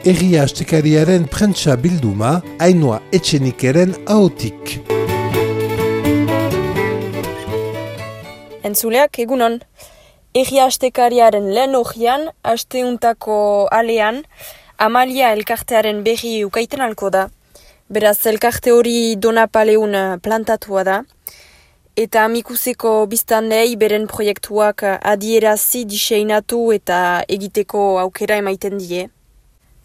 Herria Astekariaren prentsa bilduma, Ainhoa Etxenikeren ahotik. Entzuleak, egunon. Herria Astekariaren lehen horian, asteuntako alean, Amalia elkartearen berri ukaiten alko da. Beraz, elkarte hori Donapaleun plantatua da. Eta amikuseko biztanlei beren proiektuak adierazi, diseinatu eta egiteko aukera emaiten die.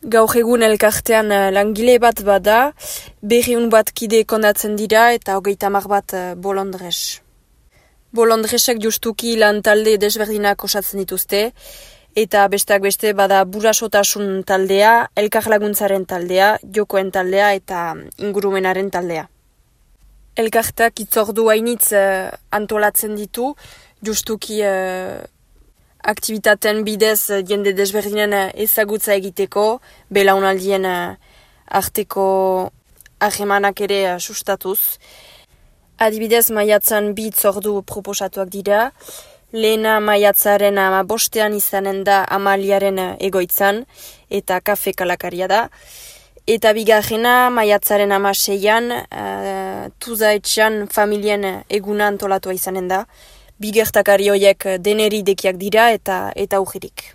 Gaur egun elkartean langile bat bada, 200 bat kide kondatzen dira eta 30 bat bolondres. Bolondresek justuki lan talde desberdinak osatzen dituzte, eta besteak beste bada burasotasun taldea, elkar laguntzaren taldea, jokoen taldea eta ingurumenaren taldea. Elkartak itzordu hainitz antolatzen ditu, justuki aktivitaten bidez jende desberdinen ezagutza egiteko, belaunaldien arteko harremanak ere sustatuz. Adibidez, maiatzan 2 itzordu proposatuak dira. Lehena maiatzaren 15 izanen da Amaliaren egoitzan eta kafe kalakaria da. Eta bigarrena maiatzaren 16an Tuzaetxean familien eguna antolatua izanen da. Bigertakari horiek deneri dekiak dira eta ujirik.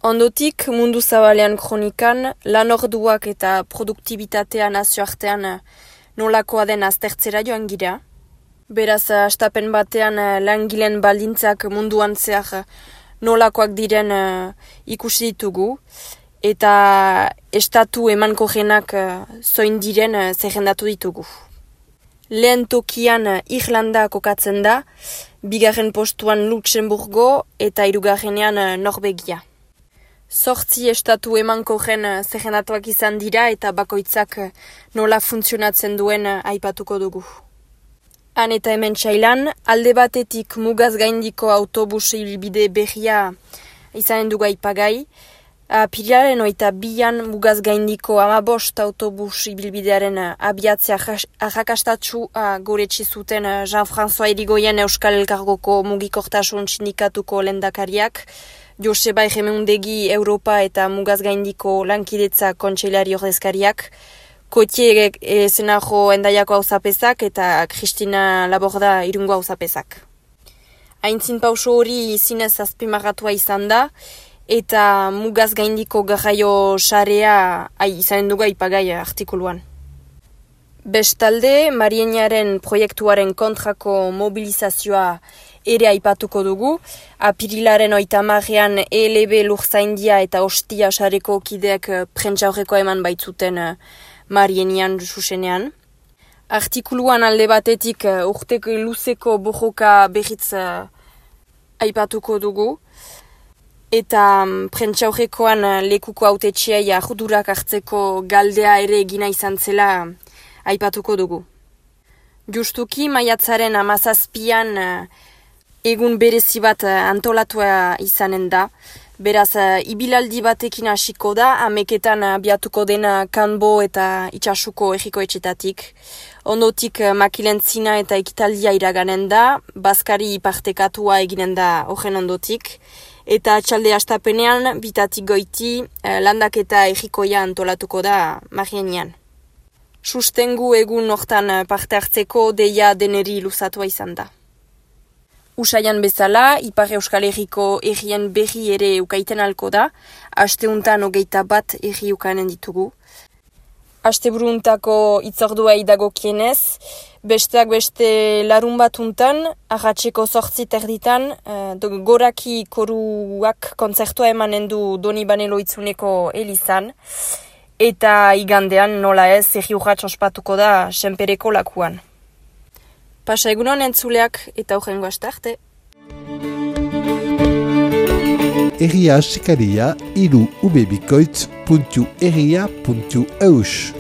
Ondotik, mundu zabalean kronikan, lan orduak eta produktibitatea nazioartean nolakoa den aztertzera joan gira. Beraz, astapen batean langileen baldintzak munduan zehar nolakoak diren ikusi ditugu, eta estatu emanko jenak zoin diren zerrendatu ditugu. Lehen tokian Irlanda kokatzen da, bigarren postuan Luxemburgo eta 3. Norvegia. 8 estatu emanko jen zerrendatuak izan dira eta bakoitzak nola funtzionatzen duen aipatuko dugu. Han eta hemen txailan, alde batetik mugaz gaindiko autobus ibilbide berria izanen dugu aipagai, Apirilaren 22an mugaz gaindiko 15 autobus ibilbidearen abiatzea arrakastatxua goretsi zuten Jean-François Irigoyen Euskal Elkargoko mugikortasun sindikatuko lehendakariak, Joseba Erremeundegi Europa eta mugaz gaindiko lankidetza kontseilari ordezkariak, Kotie Zenajo Endaiako auzapezak eta Kristina Laborda Irungo auzapezak. Aintzin pauso hori zinez azpimarratua izan da, eta mugaz gaindiko garraio sarea izanen dugu aipagai artikuluan. Bestalde, Marienaren proiektuaren kontrako mobilizazioa ere aipatuko dugu. Apirilaren 30ean ELB Lurzaindia eta Ostia sareko kideak prentsaurreko eman baitzuten Marienian zuzenean. Artikuluan alde batetik urteko luzeko borroka berriz aipatuko dugu. Eta prentsaurrekoan lekuko hautetxeai ardurak hartzeko galdea ere egina izan zela aipatuko dugu. Justuki maiatzaren 17an egun berezi bat antolatua izanen da. Beraz, ibilaldi batekin hasiko da, 11etan abiatuko dena Kanbo eta Itxasuko herriko etxetatik. Ondotik makilentzina eta ekitaldia iraganen da, bazkari partekatua eginen da horren ondotik. Eta atxalde astapenean, bitatik goiti, landaketa herrikoia antolatuko da Marienian. Sustengu egun hortan parte hartzeko deia deneri luzatua izan da. Usaian bezala, Ipar Euskal Herriko herrien berri ere ukaiten alko da, asteuntan 21 herri ukanen ditugu. Asteburuntako itzorduai dagokienez, besteak beste larun batuntan, arratseko 8:30, goraki koruak kontzertua emanen du Donibane Loitzuneko elizan, eta igandean nola ez herri urrats ospatuko da Senpereko lakuan. Pasa egunon entzuleak eta urrengo astarte. Herria Astekaria, 3ubebikoitz.herria.eus